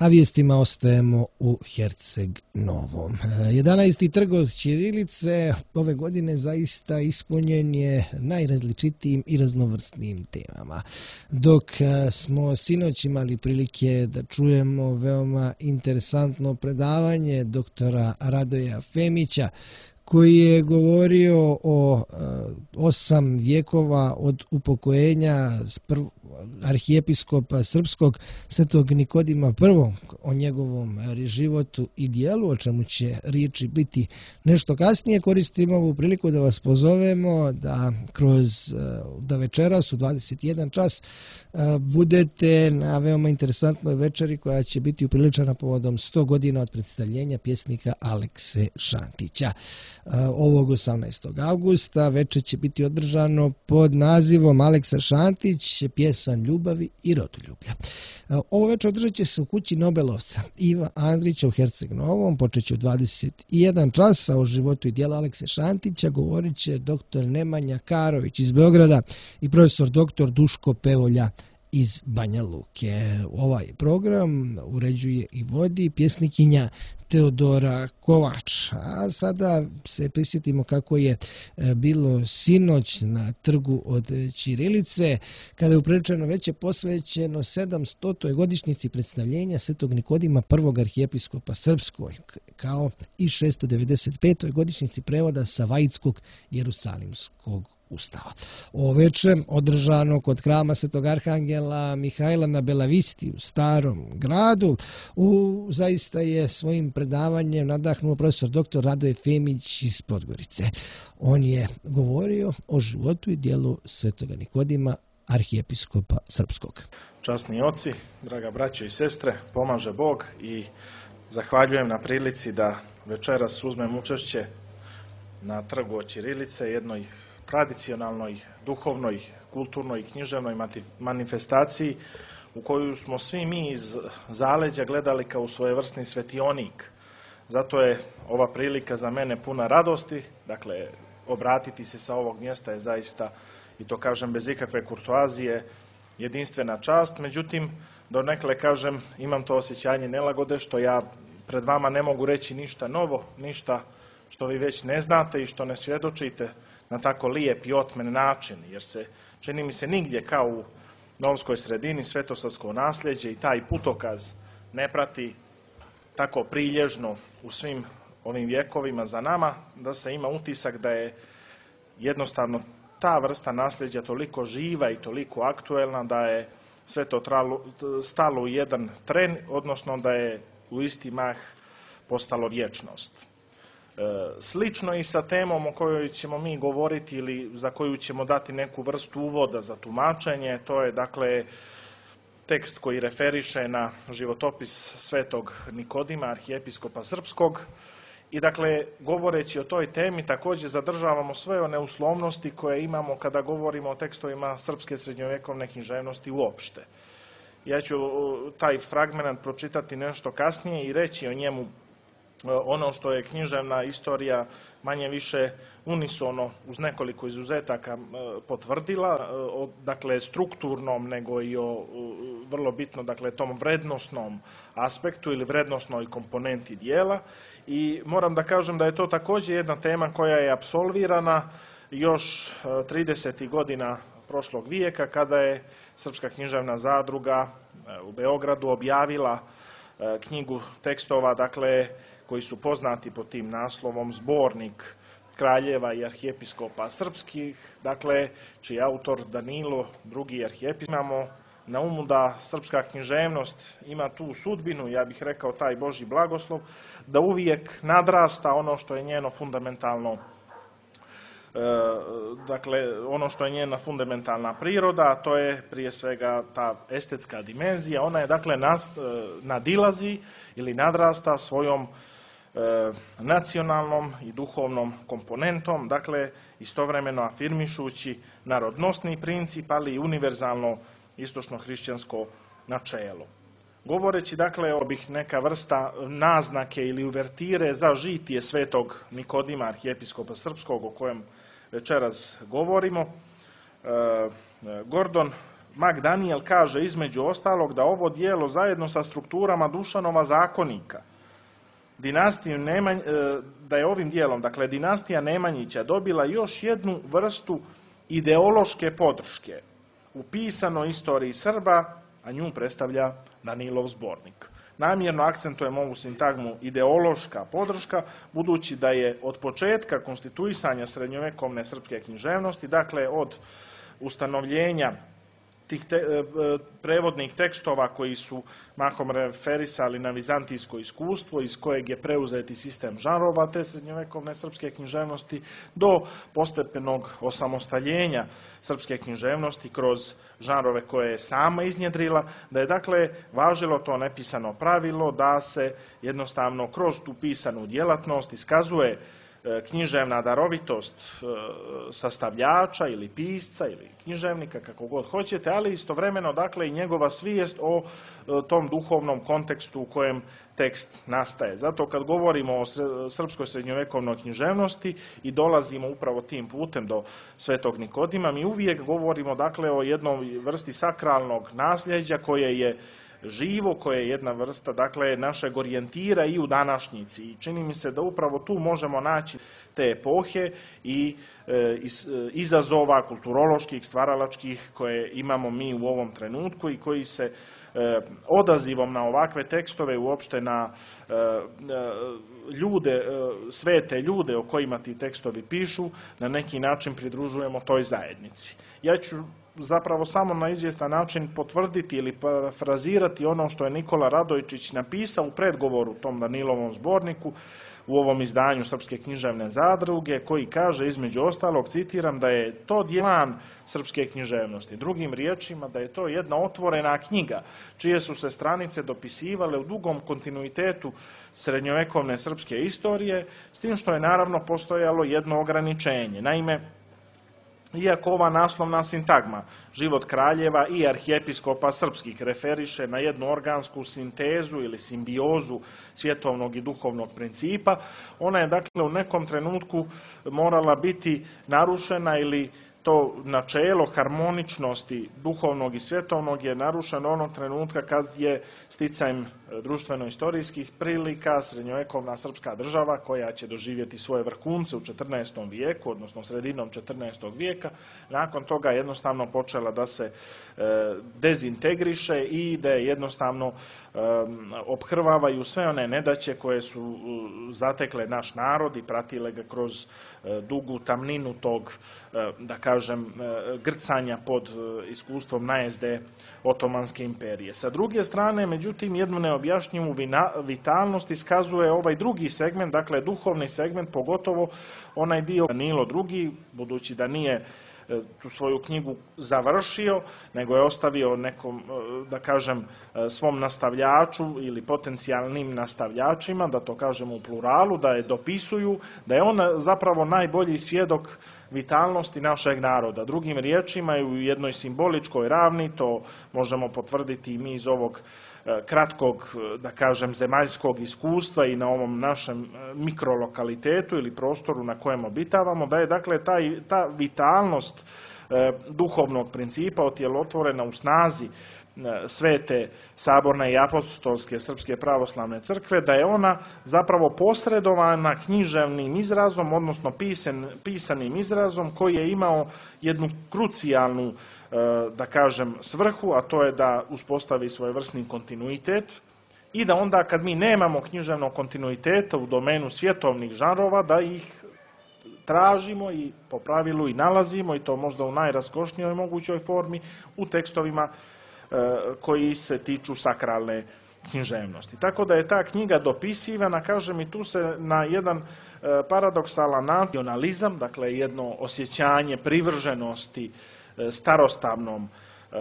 a vijestima ostajemo u Herceg Novom. 11. trg od ćirilice ove godine zaista ispunjen je najrazličitijim i raznovrsnijim temama. Dok smo sinoć imali prilike da čujemo veoma interesantno predavanje doktora Radoja Femića, koji je govorio o 8 vjekova od upokojenja arhijepiskopa srpskog svetog Nikodima I, o njegovom životu i dijelu, o čemu će riječi biti nešto kasnije. Koristimo ovu priliku da vas pozovemo da večeras u 21 čas budete na veoma interesantnoj večeri koja će biti upriličena povodom 100 godina od predstavljenja pjesnika Alekse Šantića. Ovog 18. augusta večer će biti održano pod nazivom Aleksa Šantić, pjesan ljubavi i rodoljublja. Ovo večer održat će se u kući Nobelovca Iva Andrića u Herceg Novom, počet će u 21 čas, a o životu i dijelu Alekse Šantića govorit će dr. Nemanja Karović iz Beograda i profesor dr. Duško Pevolja iz Banja Luke. Ovaj program uređuje i vodi pjesnikinja Teodora Kovač. A sada se prisjetimo kako je bilo sinoć na trgu od ćirilice, kada je upriličeno veće posvećeno 700. godišnjici predstavljenja svetog Nikodima I arhijepiskopa srpskoj, kao i 695. godišnjici prevoda Savajitskog Jerusalimskog Ustava. Ovo večer održano kod hrama Svetog Arhangela Mihajla na Belavisti u Starom gradu. Zaista je svojim predavanjem nadahnuo profesor dr. Radoje Femić iz Podgorice. On je govorio o životu i dijelu Svetoga Nikodima, arhijepiskopa srpskog. Časni oci, draga braćo i sestre, pomaže Bog i zahvaljujem na prilici da večeras uzmem učešće na trgu od ćirilice, jednoj tradicionalnoj, duhovnoj, kulturnoj i književnoj manifestaciji u koju smo svi mi iz zaleđa gledali kao svojevrsni svetionik. Zato je ova prilika za mene puna radosti, dakle, obratiti se sa ovog mjesta je zaista, i to kažem bez ikakve kurtoazije, jedinstvena čast. Međutim, donekle kažem, imam to osjećanje nelagode što ja pred vama ne mogu reći ništa novo, ništa što vi već ne znate i što ne svjedočite na tako lijep i otmen način, jer se, čini mi se, nigdje kao u novskoj sredini svetosavsko nasljeđe i taj putokaz ne prati tako prilježno u svim ovim vjekovima za nama, da se ima utisak da je jednostavno ta vrsta nasljeđa toliko živa i toliko aktuelna da je sve to stalo u jedan tren, odnosno da je u isti mah postalo vječnost. Slično i sa temom o kojoj ćemo mi govoriti ili za koju ćemo dati neku vrstu uvoda za tumačenje, to je dakle tekst koji referiše na životopis svetog Nikodima, arhijepiskopa srpskog, i dakle govoreći o toj temi također zadržavamo sve one uslovnosti koje imamo kada govorimo o tekstovima srpske srednjovjekovne književnosti uopšte. Ja ću taj fragment pročitati nešto kasnije i reći o njemu ono što je književna istorija manje više unisono uz nekoliko izuzetaka potvrdila, dakle strukturnom nego i o vrlo bitno, dakle tom vrednosnom aspektu ili vrednosnoj komponenti dijela. I moram da kažem da je to također jedna tema koja je apsolvirana još 30. godina prošlog vijeka, kada je Srpska književna zadruga u Beogradu objavila knjigu tekstova, dakle, koji su poznati pod tim naslovom Zbornik kraljeva i arhijepiskopa srpskih, dakle, čiji je autor Danilo II. Arhijepiskop. Imamo na umu da srpska književnost ima tu sudbinu, ja bih rekao taj Božji blagoslov, da uvijek nadrasta ono što je njeno fundamentalno, dakle, ono što je njena fundamentalna priroda, a to je prije svega ta estetska dimenzija. Ona je, dakle, nadilazi ili nadrasta svojom nacionalnom i duhovnom komponentom, dakle, istovremeno afirmišući narodnosni princip, ali i univerzalno istočno-hrišćansko načelo. Govoreći, dakle, ovih neka vrsta naznake ili uvertire za žitije svetog Nikodima, arhijepiskopa srpskog, o kojem večeras govorimo, Gordon Mag Daniel kaže između ostalog da ovo dijelo zajedno sa strukturama Dušanova zakonika, da je ovim dijelom, dakle dinastija Nemanjića dobila još jednu vrstu ideološke podrške u pisanoj istoriji Srba, a nju predstavlja Danilov zbornik. Namjerno akcentujem ovu sintagmu ideološka podrška, budući da je od početka konstituisanja srednjovekovne srpske književnosti, dakle od ustanovljenja tih prevodnih tekstova koji su mahom referisali na vizantijsko iskustvo iz kojeg je preuzeti sistem žanrova te srednjovekovne srpske književnosti do postepenog osamostaljenja srpske književnosti kroz žanrove koje je sama iznjedrila, da je dakle važilo to nepisano pravilo da se jednostavno kroz tu pisanu djelatnost iskazuje književna darovitost sastavljača ili pisca ili književnika, kako god hoćete, ali istovremeno dakle i njegova svijest o tom duhovnom kontekstu u kojem tekst nastaje. Zato kad govorimo o srpskoj srednjovekovnoj književnosti i dolazimo upravo tim putem do Svetog Nikodima, mi uvijek govorimo dakle o jednoj vrsti sakralnog nasljeđa koje je živo, koje je jedna vrsta dakle našeg orijentira i u današnjici. I čini mi se da upravo tu možemo naći te epohe i izazova kulturoloških, stvaralačkih koje imamo mi u ovom trenutku i koji se odazivom na ovakve tekstove, uopšte na ljude, svete ljude o kojima ti tekstovi pišu, na neki način pridružujemo toj zajednici. Ja ću zapravo samo na izvjestan način potvrditi ili parafrazirati ono što je Nikola Radojčić napisao u predgovoru tom Danilovom zborniku u ovom izdanju Srpske književne zadruge, koji kaže između ostalog, citiram, da je to djelan srpske književnosti. Drugim riječima, da je to jedna otvorena knjiga, čije su se stranice dopisivale u dugom kontinuitetu srednjovekovne srpske istorije, s tim što je naravno postojalo jedno ograničenje. Naime, iako ova naslovna sintagma Život kraljeva i arhijepiskopa srpskih referiše na jednu organsku sintezu ili simbiozu svjetovnog i duhovnog principa, ona je dakle u nekom trenutku morala biti narušena ili to načelo harmoničnosti duhovnog i svjetovnog je narušeno onog trenutka kad je sticajem društveno-istorijskih prilika srednjovekovna srpska država, koja će doživjeti svoje vrhunce u 14. vijeku, odnosno sredinom 14. vijeka, nakon toga jednostavno počela da se dezintegriše i da je jednostavno ophrvavaju sve one nedaće koje su zatekle naš narod i pratile ga kroz dugu tamninu tog, da kažem, grcanja pod iskustvom najezde Otomanske imperije. Sa druge strane, međutim, jednu neobjašnjivu vitalnost iskazuje ovaj drugi segment, dakle duhovni segment, pogotovo onaj dio Danilo II, budući da nije tu svoju knjigu završio, nego je ostavio nekom, da kažem, svom nastavljaču ili potencijalnim nastavljačima, da to kažemo u pluralu, da je dopisuju, da je on zapravo najbolji svjedok vitalnosti našeg naroda. Drugim riječima i u jednoj simboličkoj ravni, to možemo potvrditi i mi iz ovog kratkog, da kažem, zemaljskog iskustva i na ovom našem mikrolokalitetu ili prostoru na kojem obitavamo, da je dakle ta vitalnost duhovnog principa otjelotvorena u snazi svete saborne i apostolske srpske pravoslavne crkve, da je ona zapravo posredovana književnim izrazom, odnosno pisanim izrazom koji je imao jednu krucijalnu, da kažem, svrhu, a to je da uspostavi svojevrsni kontinuitet i da onda kad mi nemamo književnog kontinuiteta u domenu svjetovnih žanrova, da ih tražimo i po pravilu i nalazimo, i to možda u najraskošnijoj mogućoj formi, u tekstovima koji se tiču sakralne književnosti. Tako da je ta knjiga dopisivana, kažem, i tu se na jedan paradoksalan nacionalizam, dakle jedno osjećanje privrženosti starostavnom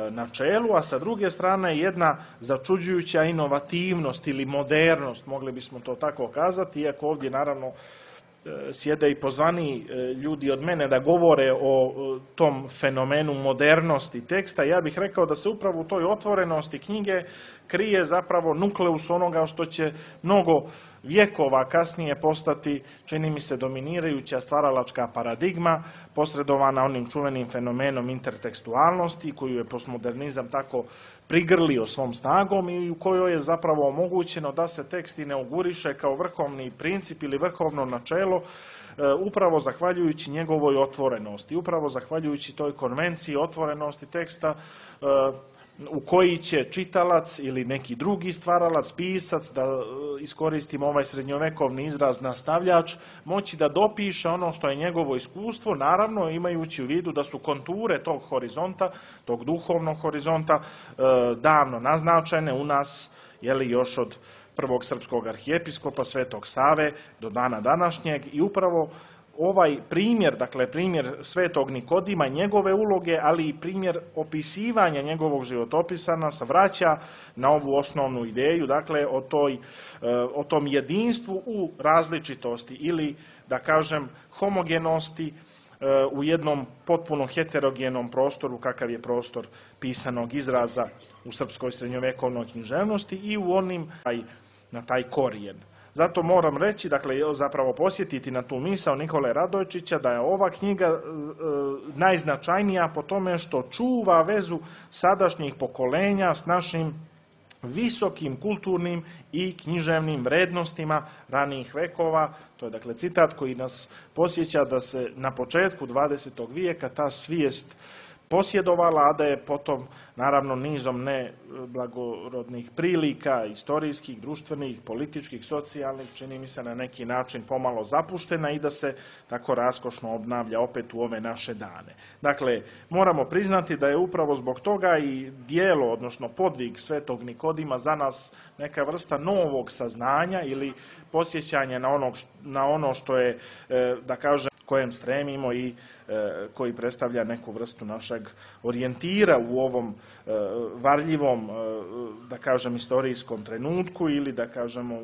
načelu, a sa druge strane jedna začuđujuća inovativnost ili modernost, mogli bismo to tako kazati, iako ovdje naravno sjede i pozvani ljudi od mene da govore o tom fenomenu modernosti teksta. Ja bih rekao da se upravo u toj otvorenosti knjige krije zapravo nukleus onoga što će mnogo vjekova kasnije postati, čini mi se, dominirajuća stvaralačka paradigma, posredovana onim čuvenim fenomenom intertekstualnosti, koju je postmodernizam tako prigrlio svom snagom i u kojoj je zapravo omogućeno da se tekst inauguriše kao vrhovni princip ili vrhovno načelo, upravo zahvaljujući njegovoj otvorenosti, upravo zahvaljujući toj konvenciji otvorenosti teksta u koji će čitalac ili neki drugi stvaralac, pisac, da iskoristimo ovaj srednjovekovni izraz nastavljač, moći da dopiše ono što je njegovo iskustvo, naravno imajući u vidu da su konture tog horizonta, tog duhovnog horizonta, davno naznačene u nas, još od prvog srpskog arhijepiskopa Svetog Save do dana današnjeg, i upravo ovaj primjer, dakle primjer Svetog Nikodima, njegove uloge, ali i primjer opisivanja njegovog životopisa nas vraća na ovu osnovnu ideju, dakle o tom jedinstvu u različitosti ili, da kažem, homogenosti u jednom potpuno heterogenom prostoru kakav je prostor pisanog izraza u srpskoj srednjovekovnoj književnosti i u onim na taj korijen. Zato moram reći, dakle, zapravo posjetiti na tu misao Nikole Radojčića da je ova knjiga najznačajnija po tome što čuva vezu sadašnjih pokolenja s našim visokim kulturnim i književnim vrednostima ranijih vekova. To je, dakle, citat koji nas podsjeća da se na početku 20. vijeka ta svijest posjedovala, a da je potom, naravno, nizom neblagorodnih prilika, istorijskih, društvenih, političkih, socijalnih, čini mi se na neki način pomalo zapuštena i da se tako raskošno obnavlja opet u ove naše dane. Dakle, moramo priznati da je upravo zbog toga i dijelo, odnosno podvig Svetog Nikodima za nas neka vrsta novog saznanja ili podsjećanje na ono što je, da kažem, kojem stremimo i koji predstavlja neku vrstu našeg orijentira u ovom varljivom, da kažem, istorijskom trenutku ili, da kažemo,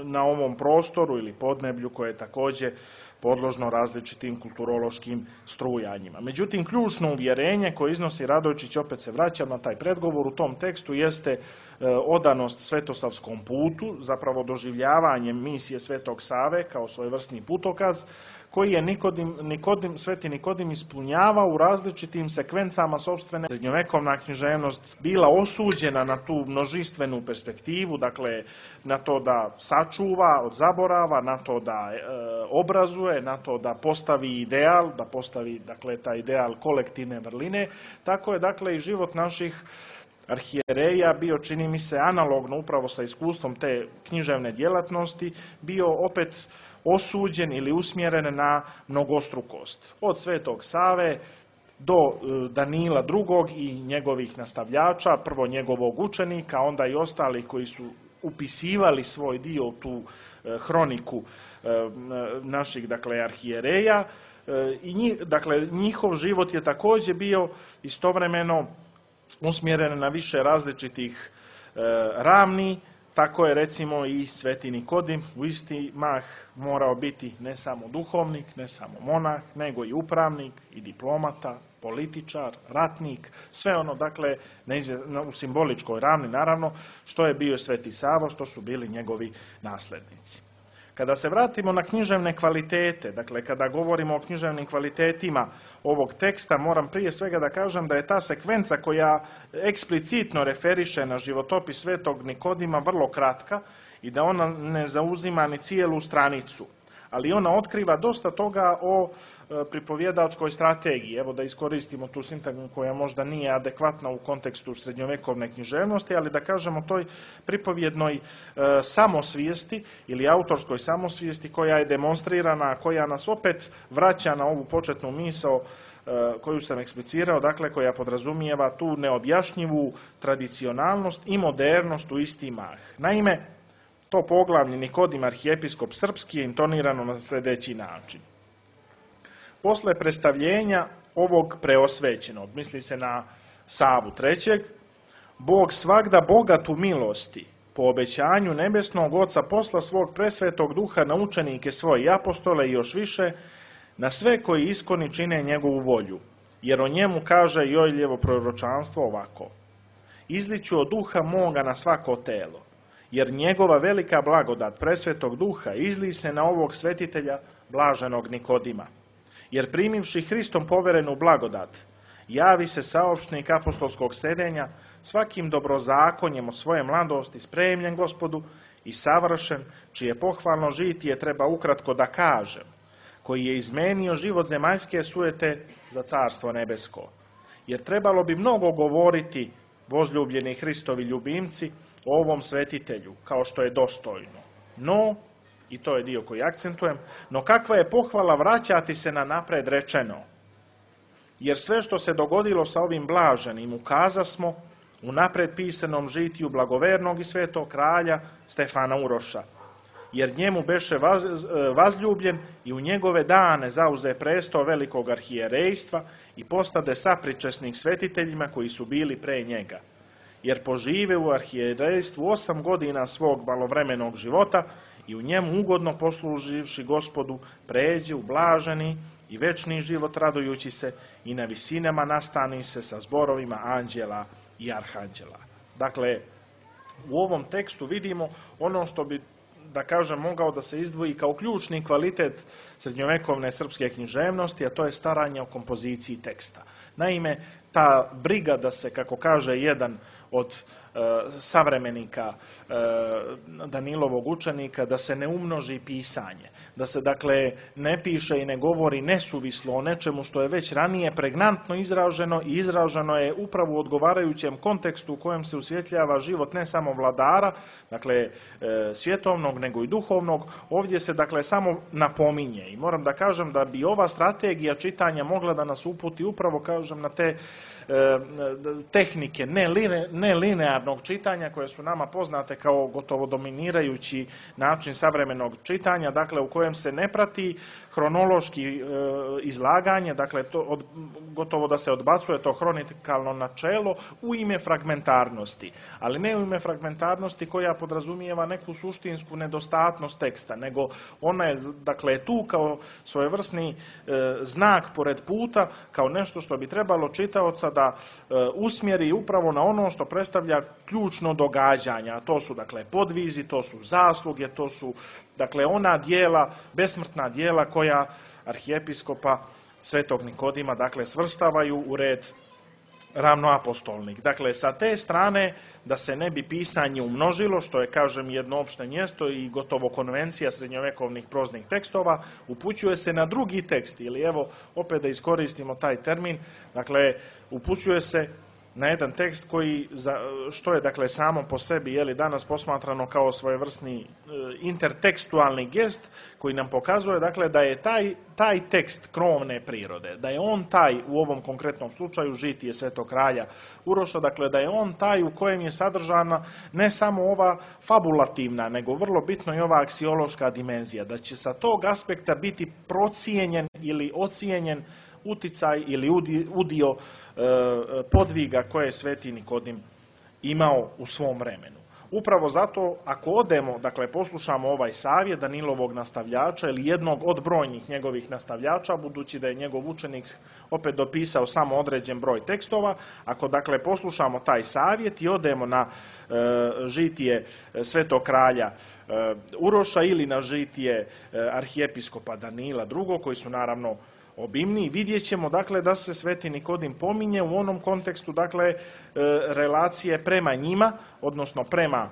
na ovom prostoru ili podneblju koje je također podložno različitim kulturološkim strujanjima. Međutim, ključno uvjerenje koje iznosi Radojčić, opet se vraćam na taj predgovor, u tom tekstu jeste odanost svetosavskom putu, zapravo doživljavanje misije Svetog Save kao svojevrsni putokaz, koji je Sveti Nikodim ispunjavao u različitim sekvencama sopstvene. Srednjovekovna književnost bila osuđena na tu množistvenu perspektivu, dakle na to da sačuva od zaborava, na to da obrazuje, na to da postavi ideal, da postavi, dakle, taj ideal kolektivne vrline. Tako je, dakle, i život naših arhijereja bio, čini mi se, analogno upravo sa iskustvom te književne djelatnosti, bio opet osuđen ili usmjeren na mnogostrukost. Od Svetog Save do Danila II. I njegovih nastavljača, prvo njegovog učenika, onda i ostalih koji su upisivali svoj dio u tu hroniku naših, dakle, arhijereja. Dakle, njihov život je također bio istovremeno usmjeren na više različitih ravni. Tako je, recimo, i Sveti Nikodim u isti mah morao biti ne samo duhovnik, ne samo monah, nego i upravnik i diplomata, političar, ratnik, sve ono, dakle, u simboličkoj ravni, naravno, što je bio Sveti Sava, što su bili njegovi naslednici. Kada se vratimo na književne kvalitete, dakle, kada govorimo o književnim kvalitetima ovog teksta, moram prije svega da kažem da je ta sekvenca koja eksplicitno referiše na životopis Svetog Nikodima vrlo kratka i da ona ne zauzima ni cijelu stranicu, ali ona otkriva dosta toga o pripovjedačkoj strategiji. Evo, da iskoristimo tu sintagmu koja možda nije adekvatna u kontekstu srednjovekovne književnosti, ali da kažemo toj pripovjednoj samosvijesti ili autorskoj samosvijesti koja je demonstrirana, koja nas opet vraća na ovu početnu misao koju sam eksplicirao, dakle, koja podrazumijeva tu neobjašnjivu tradicionalnost i modernost u isti mah. Naime, to poglavlje Nikodim arhijepiskop srpski je intonirano na sljedeći način. Posle predstavljenja ovog preosvećenog, misli se na Savu III, Bog svagda bogat u milosti, po obećanju nebesnog Oca posla svog presvetog duha na učenike svoje i apostole i još više, na sve koji iskoni čine njegovu volju, jer o njemu kaže Joeljevo proročanstvo ovako. izliću od duha moga na svako telo, jer njegova velika blagodat presvetog duha izli se na ovog svetitelja blaženog Nikodima. Jer primivši Hristom poverenu blagodat, javi se saopštnik apostolskog sedenja, svakim dobrozakonjem od svoje mladosti, spremljen Gospodu i savršen, čije pohvalno žitije treba ukratko da kažem, koji je izmenio život zemaljske sujete za carstvo nebesko. Jer trebalo bi mnogo govoriti, vozljubljeni Hristovi ljubimci, o ovom svetitelju, kao što je dostojno. No, i to je dio koji akcentujem, no kakva je pohvala vraćati se na napred rečeno. Jer sve što se dogodilo sa ovim blaženim ukazasmo u napred pisanom žitiju blagovernog i svetog kralja Stefana Uroša. Jer njemu beše vazljubljen i u njegove dane zauze presto velikog arhijerejstva i postade sapričesnik svetiteljima koji su bili pre njega. Jer požive u arhijerejstvu 8 godina svog malovremenog života i u njemu ugodno posluživši Gospodu pređe u blaženi i večni život radujući se i na visinama nastani se sa zborovima anđela i arhanđela. Dakle, u ovom tekstu vidimo ono što bi, da kažem, mogao da se izdvoji kao ključni kvalitet srednjovekovne srpske književnosti, a to je staranje o kompoziciji teksta. Naime, ta briga da se, kako kaže jedan od savremenika Danilovog učenika, da se ne umnoži pisanje, da se dakle ne piše i ne govori nesuvislo o nečemu što je već ranije pregnantno izraženo i izraženo je upravo u odgovarajućem kontekstu u kojem se usvjetljava život ne samo vladara, dakle svjetovnog, nego i duhovnog. Ovdje se dakle samo napominje i moram da kažem da bi ova strategija čitanja mogla da nas uputi upravo, kažem, na te tehnike nelinearnog čitanja koje su nama poznate kao gotovo dominirajući način savremenog čitanja, dakle u kojem se ne prati hronološki izlaganje, dakle gotovo da se odbacuje to hronikalno načelo u ime fragmentarnosti, ali ne u ime fragmentarnosti koja podrazumijeva neku suštinsku nedostatnost teksta, nego ona je dakle tu kao svojevrsni znak pored puta, kao nešto što bi trebalo čitaoca da usmjeri upravo na ono što predstavlja ključno događanja, a to su dakle podvizi, to su zasluge, to su dakle ona dijela, besmrtna dijela koja arhijepiskopa svetog Nikodima dakle svrstavaju u red ravnoapostolnih. Dakle, sa te strane da se ne bi pisanje umnožilo, što je, kažem, jedno opšte mjesto i gotovo konvencija srednjovekovnih proznih tekstova, upućuje se na drugi tekst, ili evo, opet da iskoristimo taj termin, dakle, upućuje se na jedan tekst koji, što je dakle samo po sebi, je li danas posmatrano kao svojevrsni intertekstualni gest koji nam pokazuje dakle da je taj tekst krovne prirode, da je on taj u ovom konkretnom slučaju žitije svetog kralja Uroša, dakle da je on taj u kojem je sadržana ne samo ova fabulativna, nego vrlo bitno i ova aksiološka dimenzija, da će sa tog aspekta biti procijenjen ili ocijenjen uticaj ili udio podviga koje je sveti Nikodim imao u svom vremenu. Upravo zato, ako odemo, dakle poslušamo ovaj savjet Danilovog nastavljača ili jednog od brojnih njegovih nastavljača, budući da je njegov učenik opet dopisao samo određen broj tekstova, ako dakle poslušamo taj savjet i odemo na žitije svetog kralja Uroša ili na žitije arhijepiskopa Danila II, koji su naravno obimniji, vidjet ćemo dakle da se sveti Nikodim pominje u onom kontekstu dakle relacije prema njima, odnosno prema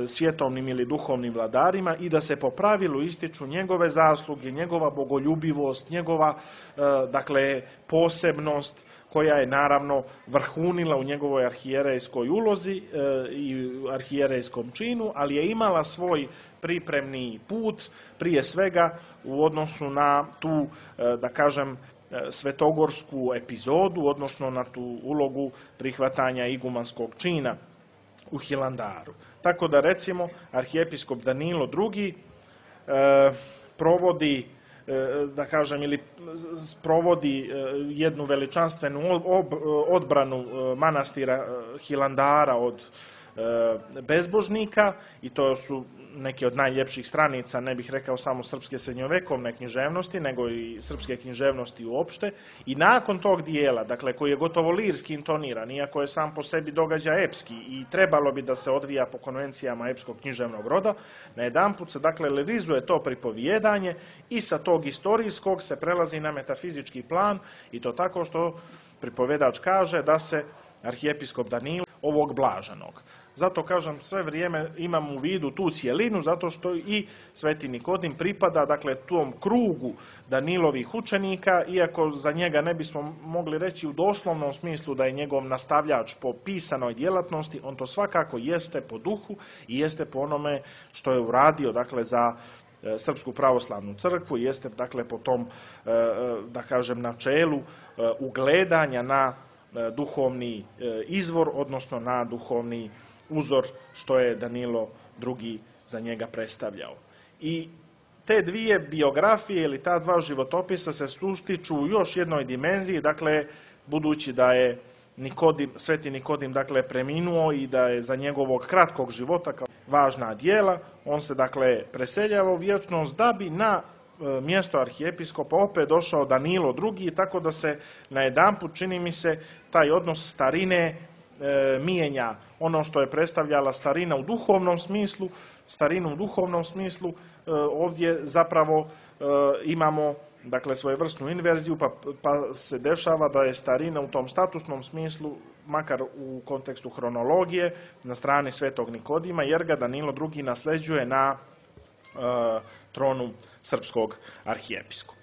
svjetovnim ili duhovnim vladarima i da se po pravilu ističu njegove zasluge, njegova bogoljubivost, njegova dakle posebnost koja je naravno vrhunila u njegovoj arhijerejskoj ulozi i arhijerejskom činu, ali je imala svoj pripremni put, prije svega u odnosu na tu, da kažem, svetogorsku epizodu, odnosno na tu ulogu prihvatanja igumanskog čina u Hilandaru. Tako da, recimo, arhijepiskop Danilo II provodi, da kažem, ili sprovodi jednu veličanstvenu odbranu manastira Hilandara od bezbožnika i to su neke od najljepših stranica, ne bih rekao samo srpske srednjovekovne književnosti, nego i srpske književnosti uopšte. I nakon tog dijela, dakle, koji je gotovo lirski intoniran, iako je sam po sebi događaj epski i trebalo bi da se odvija po konvencijama epskog književnog roda, najedanput se, dakle, lirizuje to pripovijedanje i sa tog istorijskog se prelazi na metafizički plan, i to tako što pripovjedač kaže da se arhijepiskop Danilo ovog blaženog. Zato, kažem, sve vrijeme imam u vidu tu cjelinu, zato što i Sveti Nikodim pripada, dakle, tom krugu Danilovih učenika, iako za njega ne bismo mogli reći u doslovnom smislu da je njegov nastavljač po pisanoj djelatnosti, on to svakako jeste po duhu i jeste po onome što je uradio, dakle, za Srpsku pravoslavnu crkvu, jeste, dakle, po tom, da kažem, načelu ugledanja na duhovni izvor, odnosno na duhovni uzor što je Danilo II za njega predstavljao. I te dvije biografije ili ta dva životopisa se sustiču u još jednoj dimenziji, dakle, budući da je Sveti Nikodim, dakle, preminuo i da je za njegovog kratkog života kao važna djela, on se, dakle, preseljava u vječnost da bi na mjesto arhijepiskopa opet došao Danilo II, tako da se najedanput, čini mi se, taj odnos starine mijenja. Ono što je predstavljala starina u duhovnom smislu, starinu u duhovnom smislu, ovdje zapravo imamo, dakle, svojevrsnu inverziju, pa se dešava da je starina u tom statusnom smislu, makar u kontekstu hronologije, na strani Svetog Nikodima, jer ga Danilo II nasljeđuje na tronu srpskog arhijepiskopa.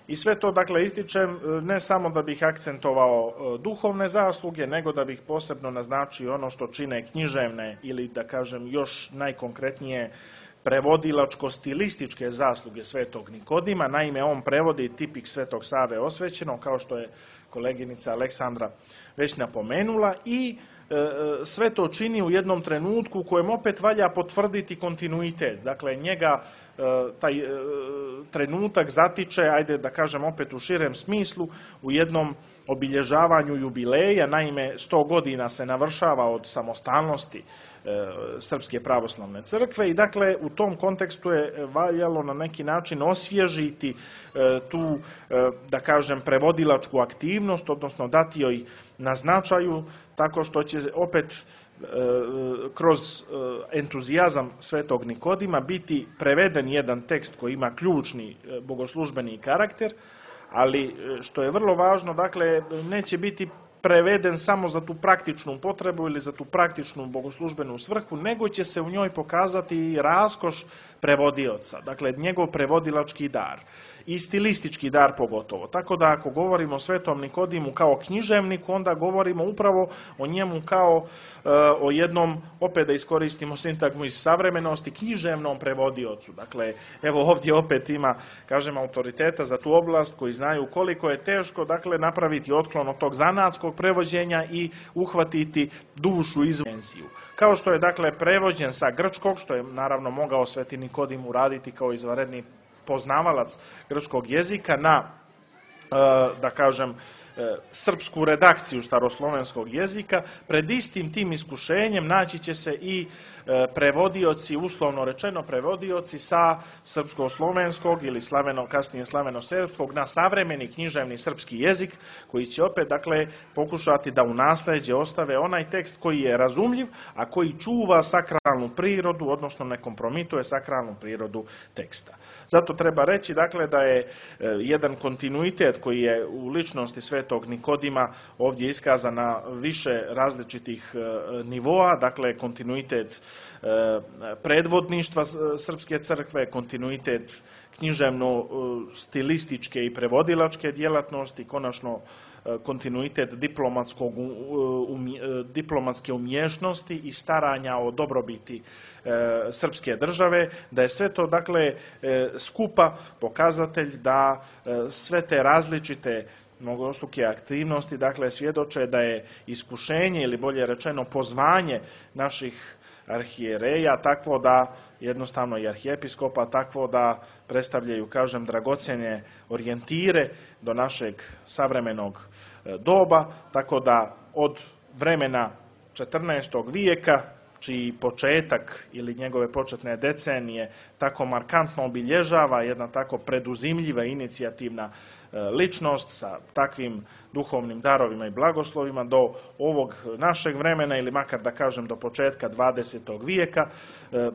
I sve to, dakle, ističem ne samo da bih akcentovao duhovne zasluge, nego da bih posebno naznačio ono što čine književne ili, da kažem, još najkonkretnije prevodilačko-stilističke zasluge Svetog Nikodima. Naime, on prevodi tipik Svetog Save Osvećenog, kao što je koleginica Aleksandra već napomenula, i sve to čini u jednom trenutku u kojem opet valja potvrditi kontinuitet. Dakle, njega taj trenutak zatiče, ajde da kažem opet u širem smislu, u jednom obilježavanju jubileja. Naime, 100 godina se navršava od samostalnosti Srpske pravoslavne crkve i, dakle, u tom kontekstu je valjalo na neki način osvježiti tu, da kažem, prevodilačku aktivnost, odnosno dati joj na značaju, tako što će opet kroz entuzijazam Svetog Nikodima biti preveden jedan tekst koji ima ključni bogoslužbeni karakter, ali što je vrlo važno, dakle, neće biti preveden samo za tu praktičnu potrebu ili za tu praktičnu bogoslužbenu svrhu, nego će se u njoj pokazati i raskoš prevodioca, dakle, njegov prevodilački dar i stilistički dar pogotovo. Tako da, ako govorimo o Svetom Nikodimu kao književniku, onda govorimo upravo o njemu kao o jednom, opet da iskoristimo sintagmu iz savremenosti, književnom prevodiocu. Dakle, evo ovdje opet ima, kažem, autoriteta za tu oblast koji znaju koliko je teško, dakle, napraviti otklon od tog zanatskog prevođenja i uhvatiti dušu iz dimenziju. Kao što je, dakle, prevođen sa grčkog, što je naravno mogao Sveti Nikodim uraditi kao izvanredni poznavalac grčkog jezika, na, da kažem, srpsku redakciju staroslovenskog jezika, pred istim tim iskušenjem naći će se i prevodioci, uslovno rečeno prevodioci sa srpsko-slovenskog ili kasnije slaveno-srpskog na savremeni književni srpski jezik, koji će opet, dakle, pokušati da u nasljeđe ostave onaj tekst koji je razumljiv, a koji čuva sakralnu prirodu, odnosno ne kompromituje sakralnu prirodu teksta. Zato treba reći, dakle, da je jedan kontinuitet koji je u ličnosti Svetog Nikodima ovdje iskazan na više različitih nivoa, dakle, kontinuitet predvodništva Srpske crkve, kontinuitet književno-stilističke i prevodilačke djelatnosti, konačno kontinuitet diplomatske umješnosti i staranja o dobrobiti srpske države, da je sve to, dakle, skupa pokazatelj da sve te različite mnogostruke aktivnosti, dakle, svjedoče da je iskušenje ili bolje rečeno pozvanje naših arhijereja takvo da, jednostavno i arhijepiskopa, takvo da predstavljaju, kažem, dragocjene orijentire do našeg savremenog doba, tako da od vremena 14. vijeka, čiji početak ili njegove početne decenije tako markantno obilježava jedna tako preduzimljiva inicijativna ličnost sa takvim duhovnim darovima i blagoslovima do ovog našeg vremena ili makar da kažem do početka 20. vijeka,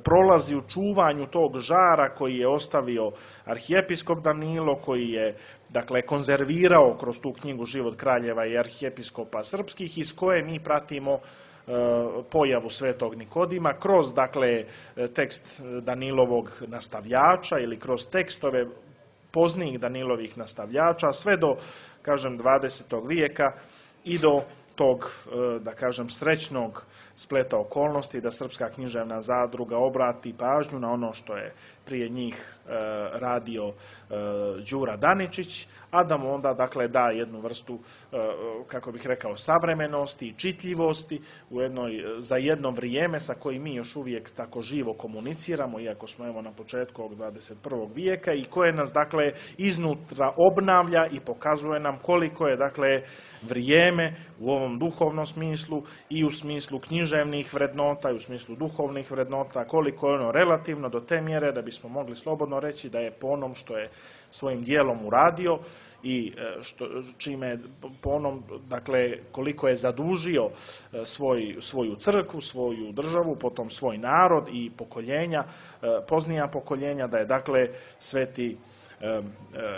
prolazi u čuvanju tog žara koji je ostavio arhijepiskop Danilo, koji je dakle konzervirao kroz tu knjigu Život kraljeva i arhijepiskopa srpskih, iz koje mi pratimo pojavu svetog Nikodima kroz dakle tekst Danilovog nastavljača ili kroz tekstove poznijih Danilovih nastavljača sve do, kažem, 20. vijeka i do tog, da kažem, srećnog spleta okolnosti da Srpska književna zadruga obrati pažnju na ono što je prije njih radio Đura Daničić, a da mu onda dakle da jednu vrstu, kako bih rekao, savremenosti i čitljivosti za jedno vrijeme sa kojim mi još uvijek tako živo komuniciramo, iako smo evo na početku ovog 21. vijeka, i koje nas dakle iznutra obnavlja i pokazuje nam koliko je dakle vrijeme u ovom duhovnom smislu i u smislu književnih vrednota i u smislu duhovnih vrednota, koliko je ono relativno do te mjere da bismo mogli slobodno reći da je po onom što je svojim dijelom uradio i čime po onom, dakle, koliko je zadužio svoju crkvu, svoju državu, potom svoj narod i pokoljenja, poznija pokoljenja, da je dakle sveti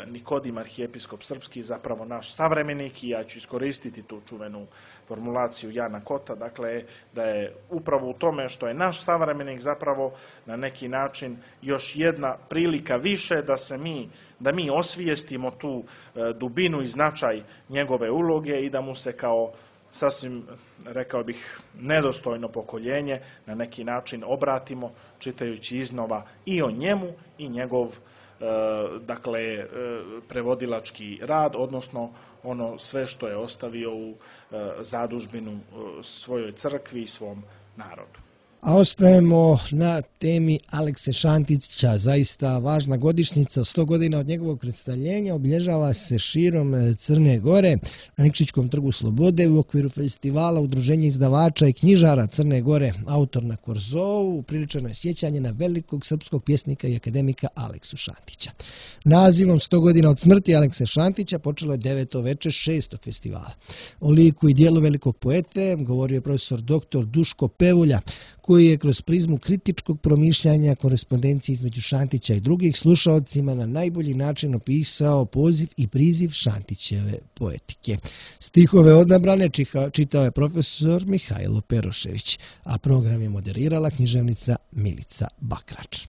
Nikodim, arhijepiskop srpski, zapravo naš savremenik, i ja ću iskoristiti tu čuvenu formulaciju Jana Kota, dakle da je upravo u tome što je naš savremenik zapravo na neki način još jedna prilika više da mi osvijestimo tu dubinu i značaj njegove uloge i da mu se kao sasvim, rekao bih, nedostojno pokoljenje na neki način obratimo čitajući iznova i o njemu i njegov dakle prevodilački rad, odnosno ono sve što je ostavio u zadužbinu svojoj crkvi i svom narodu. A ostajemo na temi Alekse Šantića, zaista važna godišnjica, 100 godina od njegovog predstavljenja, obilježava se širom Crne Gore, na Nikšićkom trgu Slobode u okviru festivala Udruženja izdavača i knjižara Crne Gore, autor na Korzovu, upriličeno je sjećanje na velikog srpskog pjesnika i akademika Aleksu Šantića. Nazivom 100 godina od smrti Alekse Šantića počelo je 9. veče 6. festivala. O liku i dijelu velikog poete govorio je profesor dr. Duško Pevulja, koji je kroz prizmu kritičkog promišljanja korespondencije između Šantića i drugih slušaocima na najbolji način opisao poziv i priziv Šantićeve poetike. Stihove odabrane čitao je profesor Mihajlo Perošević, a program je moderirala književnica Milica Bakrač.